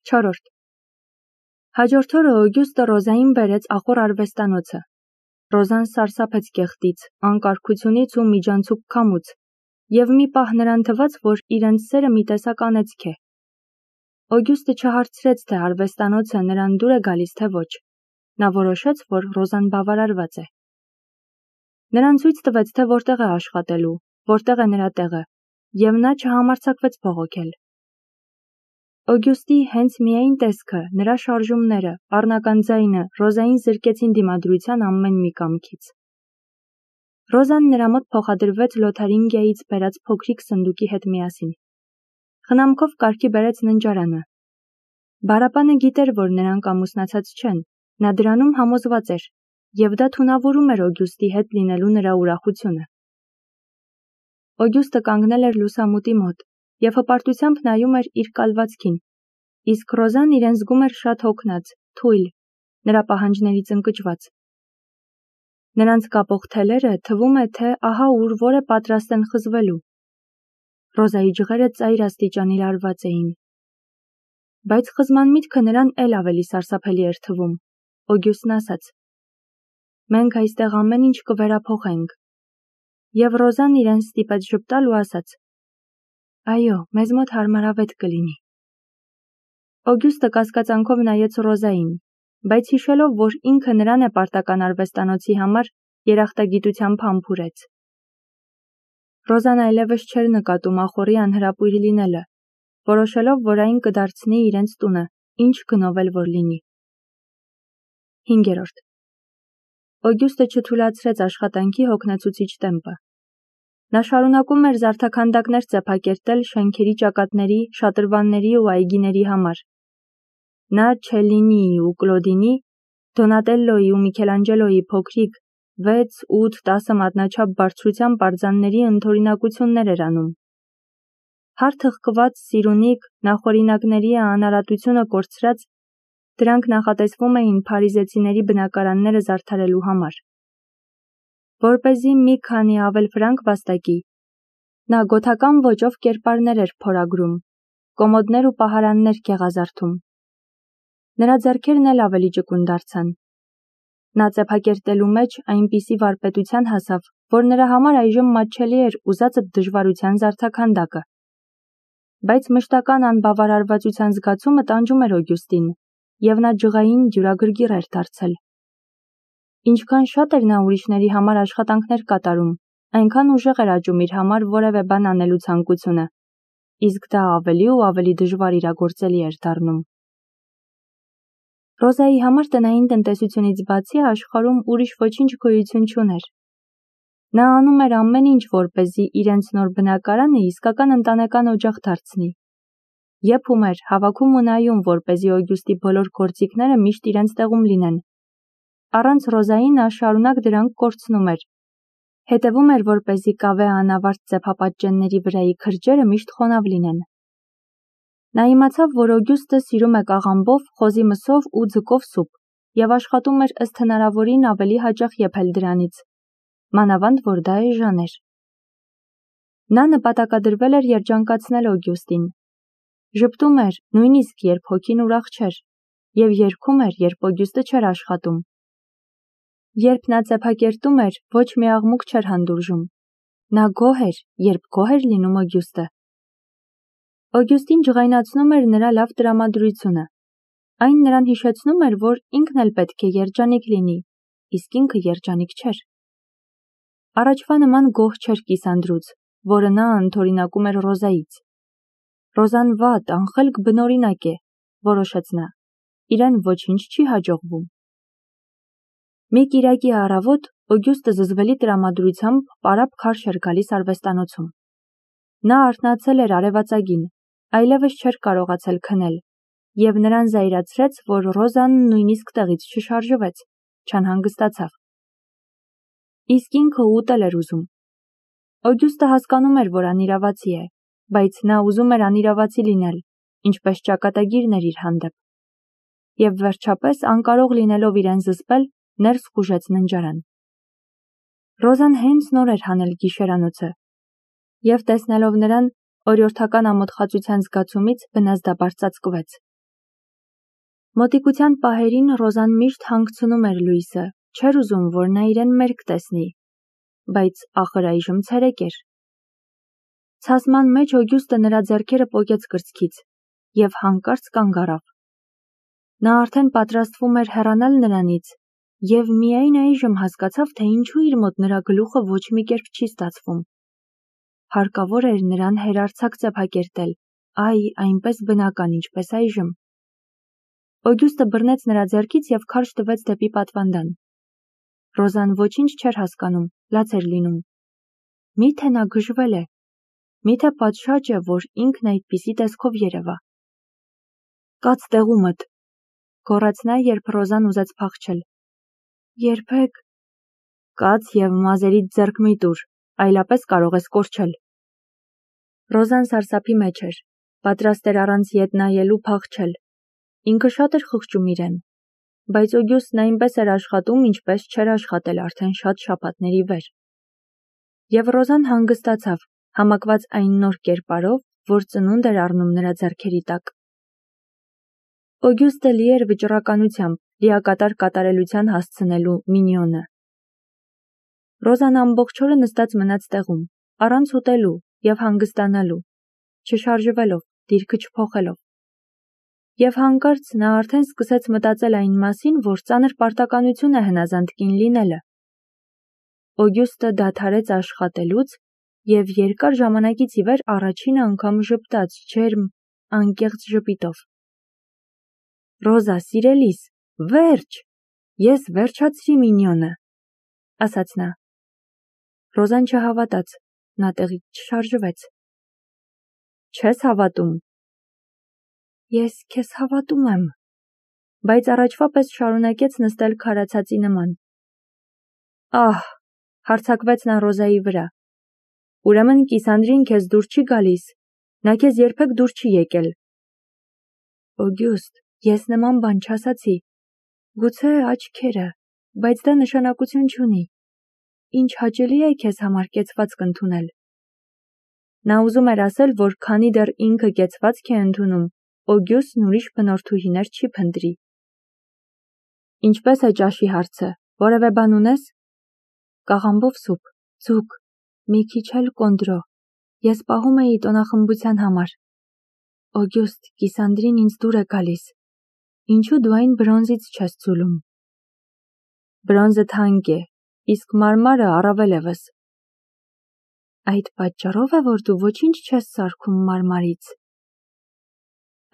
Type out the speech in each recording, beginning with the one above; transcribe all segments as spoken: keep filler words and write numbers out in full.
Չորրորդ. Հաջորդ օրը Օգյուստը Ռոզային բերեց ախոր արվեստանոցը։ Ռոզան սարսափեց կեղտից, անկարգությունից ու միջանցուկ քամուց, եւ մի պահ նրան թվաց, որ իրենց սերը մի տեսակ անեծք է։ Օգյուստը չհարցրեց, թե արվեստանոցը նրան դուր է գալիս, թե ոչ։ Նա որոշեց, որ Ռոզան բավարարված է։ Նրան ցույց տվեց, թե որտեղ է աշխատելու, որտեղ է նրա տեղը, եւ նա չհամարձակվեց բողոքել։ Օգյուստի հենց միայն տեսքը, նրա շարժումները, առնական ձայնը Ռոզային զրկեցին դիմադրության ամեն մի կամքից։ Ռոզան նրա մոտ փոխադրվեց Լոթարինգիայից բերած փոքրիկ սնդուկի հետ միասին։ Խնամքով կարգի բերեց ննջարանը։ Բարապանը գիտեր, որ նրանք ամուսնացած չեն, նա դրանում համոզված էր, եւ դա թունավորում էր Օգյուստի հետ լինելու նրա ուրախությունը։ Օգյուստը կանգնել էր լուսամուտի մոտ եւ հպարտությամբ նայում էր իր կալվածքին, իսկ Ռոզան իրեն զգում էր շատ հոգնած, թույլ, նրա պահանջներից ընկճված։ Նրանց կապող թելերը թվում է, թե ահա ուր որ է պատրաստ են խզվելու։ Ռոզայի ջղերը ծայր աստիճանի լարված էին։ Բայց խզման միտքը նրան էլ ավելի սարսափելի էր թվում։ Օգյուստն ասաց. «Մենք այստեղ ամեն ինչ կվերափոխենք»։ Եվ Ռոզան իրեն ստիպեց ժպտալ ու ասաց. «Այո, մեզ մոտ հարմարավետ կլինի»։ Օգյուստը կասկածանքով նայեց Ռոզային, բայց հիշելով, որ ինքը նրան է պարտական արվեստանոցի համար, երախտագիտությամբ համբուրեց։ Ռոզան այլևս չէր նկատում ախորի անհրապույր լինելը, որոշելով, որ այն կդարձնի իրենց տունը, ինչ գնով էլ որ լինի։ Հինգերորդ. Օգյուստը չթույլատրեց աշխատանքի հոգնեցուցիչ տեմպը։ Նա շարունակում էր զարդաքանդակներ ծեփակերտել շենքերի ճակատների, շատրվանների ու այգիների համար։ Նա Չելլինիի ու Կլոդինի, Դոնատելլոյի ու Միքելանջելոյի փոքրիկ վեց, ութ, տասը մատնաչափ բարձրությամբ արձանների ընդօրինակություններ էր անում։ Հարթղկված, սիրունիկ, նախօրինակների անարատությունը կորցրած, դրանք նախատեսվում էին փարիզեցիների բնակարանները զարդարելու համար։ Որպեսզի մի քանի ավել ֆրանկ վաստակի, նա գոթական ոճով կերպարներ էր փորագրում, կոմոդներ ու պահարաններ գեղազարդում։ Նրա ձեռքերն էլ ավելի ճկուն դարձան։ Նա ծեփակերտելու մեջ այնպիսի վարպետության հասավ, որ նրա համար այժմ մատչելի էր ուզածդ դժվարության զարդաքանդակը։ Բայց մշտական անբավարարվածության զգացումը տանջում էր Օգյուստին, եւ նա ջղային ջուրագրգիռ էր դարձել։ Ինչքան շատ էր նա ուրիշների համար աշխատանքներ կատարում, այնքան ուժեղ էր աճում իր համար որևէ բան անելու ցանկությունը, իսկ դա ավելի ու ավելի դժվար իրագործելի էր դառնում։ Ռոզայի համար տնային տնտեսությունից բացի աշխարհում ուրիշ ոչինչ գոյություն չուներ։ Նա անում էր ամեն ինչ, որպեսզի իրենց նոր բնակարանը իսկական ընտանեկան օջախ դարձնի։ Եփում էր, հավաքում ու նայում, որպեսզի Օգյուստի բոլոր գործիքները միշտ իրենց տեղում լինեն։ Առանց Ռոզայի նա շարունակ դրանք կորցնում էր։ Հետևում էր, որպեսզի կավե անավարտ ծեփապատճենների վրայի քրջերը միշտ խոնավ լինեն։ Նա իմացավ, որ Օգյուստը սիրում է կաղամբով, խոզի մսով ու ձկով սուպ, եւ աշխատում էր ըստ հնարավորին ավելի հաճախ եփել դրանից, մանավանդ որ դա էժան էր։ Նա նպատակադրվել էր երջանկացնել Օգյուստին։ Ժպտում էր, նույնիսկ երբ հոգին ուրախ չէր, եւ երգում էր, երբ Օգյուստը չէր աշխատում։ Երբ նա ծեփակերտում էր, ոչ մի աղմուկ չէր հանդուրժում։ Նա գոհ էր, երբ գոհ էր լինում Օգյուստը։ Օգյուստին ջղայնացնում էր նրա լավ տրամադրությունը։ Այն նրան հիշեցնում էր, որ ինքն էլ պետք է երջանիկ լինի, իսկ ինքը երջանիկ չէր։ Առաջվա նման գոհ չէր կիսանդրուց, որը նա ընդօրինակում էր Ռոզայից։ Ռոզան վատ, անխելք բնօրինակ է, որոշեց նա։ Իրեն ոչինչ չի հաջողվում։ Մի կիրակի առավոտ Օգյուստը զզվելի տրամադրությամբ պարապ քարշ էր գալիս արվեստանոցում։ Նա արթնացել էր արևածագին, այլևս չէր կարողացել քնել, եւ նրան զայրացրեց, որ Ռոզան նույնիսկ տեղից չշարժվեց, չանհանգստացավ։ Իսկ ինքը ուտել էր ուզում։ Օգյուստը հասկանում էր, որ անիրավացի է, բայց նա ուզում էր անիրավացի լինել, ինչպես ճակատագիրն էր իր հանդեպ։ Եվ վերջապես, անկարող լինելով իրեն զսպել, ներս խուժեց ննջարան։ Ռոզան հենց նոր էր հանել գիշերանոցը, եւ տեսնելով նրան, օրիորդական ամոթխածության զգացումից վնասդապար ծածկվեց։ Մոտիկության պահերին Ռոզան միշտ հանգցնում էր Լուիսը, չէր ուզում, որ նա իրեն մերկ տեսնի, բայց ախր այժմ ցերեկ էր։ Ցասման մեջ Օգյուստը նրա ձեռքերը պոկեց կրծքից և հանկարծ կանգ առավ։ Նա արդեն պատրաստվում էր հեռանալ նրանից և միայն այժմ հասկացավ, թե ինչու իր մոտ նրա գլուխը ոչ մի կերպ չի ստացվում։ Հարկավոր էր նրան հերարձակ ծեփակերտել, այ, այնպես բնական, ինչպես այժմ։ Օգյուստը բռնեց նրա ձեռքից և քարշ տվեց դեպի պատվանդան։ Ռոզան ոչինչ չէր հասկանում, լաց էր լինում։ Միթե նա գժվել է, միթե պատշաճ է, որ ինքն այդպիսի տեսքով երևա։ Կաց տեղումդ, գոռաց նա, երբ Ռոզան ուզեց փախչել։ Երբեք, կաց և մազերիդ ձեռք մի տուր, այլապես կարող ես կորչել։ Ռոզան սարսափի մեջ էր, պատրաստ էր առանց ետ նայելու փախչել։ Ինքը շատ էր խղճում իրեն, բայց Օգյուստն այնպես էր աշխատում, ինչպես չէր աշխատել արդեն շատ շաբաթների վեր։ Եվ Ռոզան հանգստացավ, համակված այն նոր կերպարով, որ ծնունդ էր առնում նրա ձեռքերի տակ։ Օգյուստը լի էր վճռականությամբ, լիակատար կատարելության հասցնելու մինիոնը։ Ռոզան ամբողջ օրը նստած մնաց տեղում, առանց ուտելու և հանգստանալու, չշարժվելով, դիրքը չփոխելով։ Եվ հանկարծ նա արդեն սկսեց մտածել այն մասին, որ ծանր պարտականություն է հնազանդ կին լինելը։ Օգյուստը դադարեց աշխատելուց և երկար ժամանակից ի վեր առաջին անգամ ժպտաց ջերմ, անկեղծ ժպիտով։ Ռոզա, սիրելիս, վերջ, ես վերջացրի մինիոնը, ասաց նա։ Ռոզան չհավատաց, նա տեղից չշարժվեց։ Չես հավատում։ Ես քեզ հավատում եմ, բայց առաջվա պես շարունակեց նստել քարացածի նման։ Ահ, հարձակվեց նա Ռոզայի վրա։ Ուրեմն Կիսանդրին քեզ դուր չի գալիս, նա քեզ երբեք դուր չի եկել։ Օգյուստ, ես նման բան չասացի։ Գուցե աչքերը, բայց դա նշանակություն չունի։ Ինչ հաճելի է քեզ համար կեցվածք ընդունել։ Նա ուզում էր ասել, որ քանի դեռ ինքը կեցվածք է ընդունում, Օգյուստն ուրիշ բնորդուհիներ չի փնտրի։ Ինչպես է ճաշի հարցը, որևէ բան ունես։ Կաղամբով սուպ, ձուկ, մի քիչ էլ կոնդրո, ես պահում էի տոնախմբության համար։ Օգյուստ, Կիսանդրին ինձ դուր է գալիս։ Ինչու դու այն բրոնզից չես ցուլում։ Բրոնզը թանկ է, իսկ մարմարը առավել ևս։ Այդ պատճառով է, որ դու ոչինչ չես սարքում մարմարից։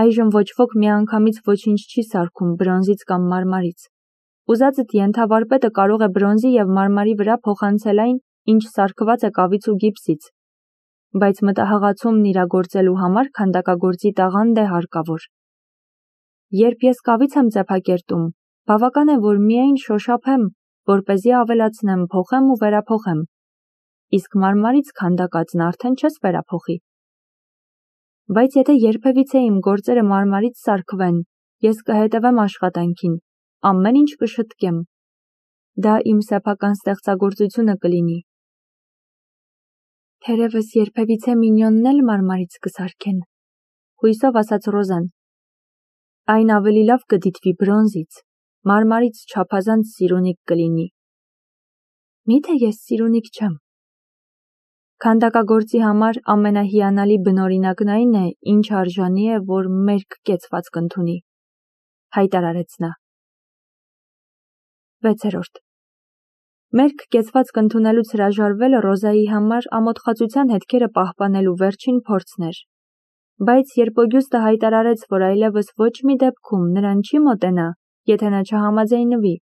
Այժմ ոչ ոք միանգամից ոչինչ չի սարքում բրոնզից կամ մարմարից։ Ուզածդ ենթավարպետը կարող է բրոնզի և մարմարի վրա փոխանցել այն, ինչ սարքված է կավից ու գիպսից, բայց մտահղացումն իրագործելու համար քանդակագործի տաղանդ է հարկավոր։ Երբ ես կավից եմ ծեփակերտում, բավական է, որ միայն շոշափեմ, որպեսզի ավելացնեմ, փոխեմ ու վերափոխեմ, իսկ մարմարից քանդակածն արդեն չես վերափոխի։ Բայց եթե երբևիցե իմ գործերը մարմարից սարքվեն, ես կհետևեմ աշխատանքին, ամեն ինչ կշտկեմ։ Դա իմ սեփական ստեղծագործությունը կլինի։ Թերևս երբևիցե մինիոնն էլ մարմարից կսարքեն, հույսով ասաց Ռոզան։ Այն ավելի լավ կդիտվի բրոնզից, մարմարից չափազանց սիրունիկ կլինի։ Միթե ես սիրունիկ չեմ։ Քանդակագործի համար ամենահիանալի բնօրինակն այն է, ինչ արժանի է, որ մերկ կեցվածք ընդունի, հայտարարեց նա։ վեցերորդ Մերկ կեցվածք ընդունելուց հրաժարվելը Ռոզայի համար ամոթխածության հետքերը պահպանելու վերջին փորձն էր, բայց երբ Օգյուստը հայտարարեց, որ այլևս ոչ մի դեպքում նրան չի մոտենա, եթե նա չհամաձայնվի,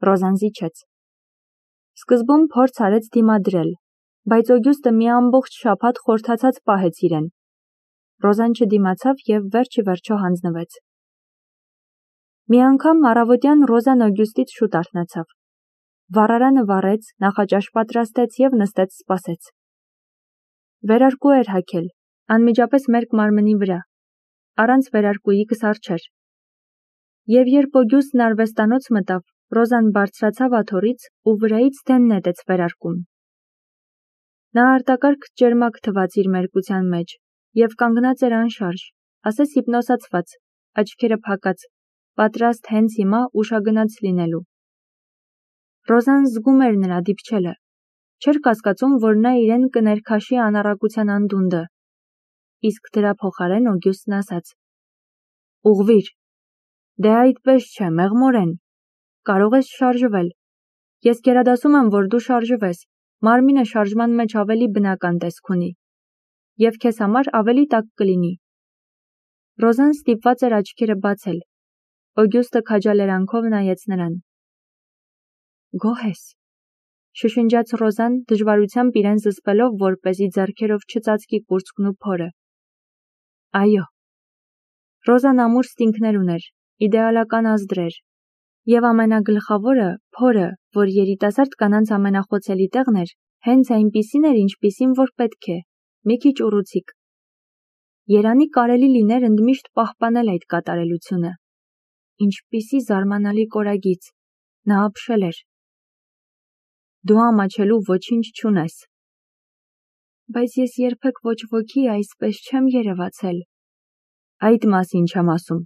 Ռոզան զիջեց։ Սկզբում փորձ արեց դիմադրել, բայց Օգյուստը մի ամբողջ շաբաթ խորթացած պահեց իրեն։ Ռոզան չդիմացավ և վերջ ի վերջո հանձնվեց։ Մի անգամ առավոտյան Ռոզան Օգյուստից շուտ արթնացավ։ Վառարանը վառեց, նախաճաշ պատրաստեց և նստեց սպասեց։ Վերարկու էր հագել, անմիջապես մերկ մարմնի վրա, առանց վերարկուի կսար չէր։ Եվ երբ Օգյուստն արվեստանոց մտավ, Ռոզան բարձրացավ աթոռից ու վրայից դեն նետեց վերարկուն։ Նա արտակարգ ճերմակ թվաց իր մերկության մեջ և կանգնած էր անշարժ, ասես հիպնոսացված, աչքերը փակած, պատրաստ հենց հիմա ուշագնաց լինելու։ Ռոզան զգում էր նրա դիպչելը, չէր կասկածում, որ նա իրեն կներքաշի անառակության անդունդը, իսկ դրա փոխարեն Օգյուստն ասաց. «Ուղղվիր, դե այդպես չէ, մեղմորեն, կարող ես շարժվել, ես գերադասում եմ, որ դու շարժվես, մարմինը շարժման մեջ ավելի բնական տեսք ունի, և քեզ համար ավելի տաք կլինի»։ Ռոզան ստիպված էր աչքերը բացել, Օգյուստը քաջալերանքով նայեց նրան։ «Գոհ ես», շշնջաց Ռոզան դժվարությամբ իրեն զսպելով, որպեսզի ձեռքերով չծածկի կուրծքն ու փորը։ Այո։ Ռոզան ամուր ստինգներ ուներ, իդեալական ազդրեր, և ամենագլխավորը, փորը, որ երիտասարդ կանանց ամենախոցելի տեղն էր, հենց այնպիսին էր, ինչպիսին որ պետք է, մի քիչ ուռուցիկ։ Երանի կարելի լիներ ընդմիշտ պահպանել այդ կատարելությունը։ Ինչպիսի զարմանալի կորագիծ, նա ապշել էր։ Դու ամաչելու ոչինչ չունես։ Բայց ես երբեք ոչ ոքի այսպես չեմ երևացել։ Այդ մասին չեմ ասում,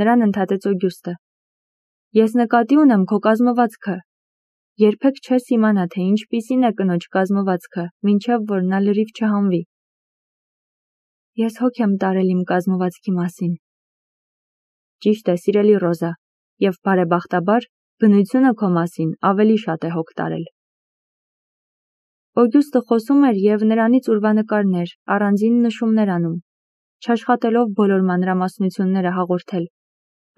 նրան ընդհատեց Օգյուստը։ Ես նկատի ունեմ քո կազմվածքը։ Երբեք չես իմանա, թե ինչպիսին է կնոջ կազմվածքը, մինչև որ նա լրիվ չհանվի։ Ես հոգ եմ տարել իմ կազմվածքի մասին։ Ճիշտ է, սիրելի Ռոզա, և բարեբախտաբար, բնությունը քո մասին ավելի շատ է հոգ տարել։ Օգյուստը խոսում էր և նրանից ուրվանկարներ, առանձին նշումներ անում, չաշխատելով բոլոր մանրամասնությունները հաղորդել,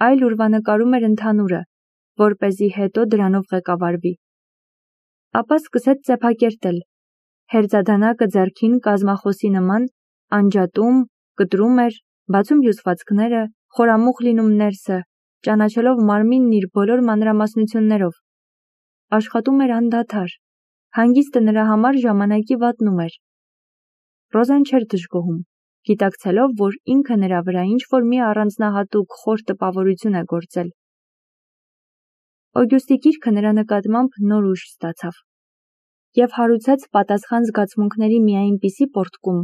այլ ուրվանկարում էր ընդհանուրը, որպեսզի հետո դրանով ղեկավարվի։ Ապա սկսեց ծեփակերտել, հերձադանակը ձեռքին կազմախոսի նման, անջատում, կտրում էր, բացում հյուսվածքները, խորամուխ լինում ներսը, ճանաչելով մարմինն իր բոլոր մանրամասնություններով։ Աշխատում էր անդադար, հանգիստը նրա համար ժամանակի վատնում էր։ Ռոզան չէր դժգոհում, գիտակցելով, որ ինքը նրա վրա ինչ-որ մի առանձնահատուկ խոր տպավորություն է գործել։ Օգյուստի գիրքը նրա նկատմամբ նոր ուժ ստացավ և հարուցեց պատասխան զգացմունքների մի այնպիսի պոռթկում,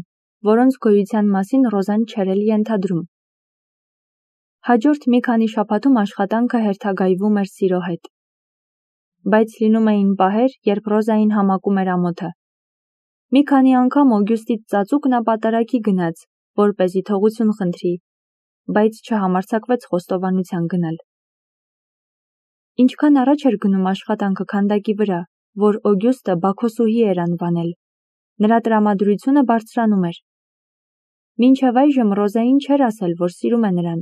որոնց գոյության մասին Ռոզան չէր էլ ենթադրում։ Հաջորդ մի քանի շաբաթում աշխատանքը հերթագայվում էր սիրո հետ։ Բայց լինում էին պահեր, երբ Ռոզային համակում էր ամոթը։ Մի քանի անգամ Օգյուստից ծածուկ նա պատարագի գնաց, որպեսզի թողություն խնդրի, բայց չհամարձակվեց խոստովանության գնալ։ Ինչքան առաջ էր գնում աշխատանքը քանդակի վրա, որ Օգյուստը Բաքոսուհի էր անվանել, նրա տրամադրությունը բարձրանում էր։ Մինչև այժմ Ռոզային չէր ասել, որ սիրում է նրան,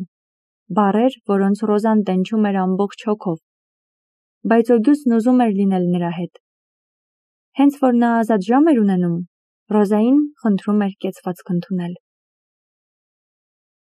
բառեր, որոնց Ռոզան տենչում էր ամբողջ հոգով։ Բայց Օգյուստն ուզում էր լինել նրա հետ։ Հենց որ նա ազատ ժամ էր ունենում, Ռոզային խնդրում էր կեցվածք ընդունել։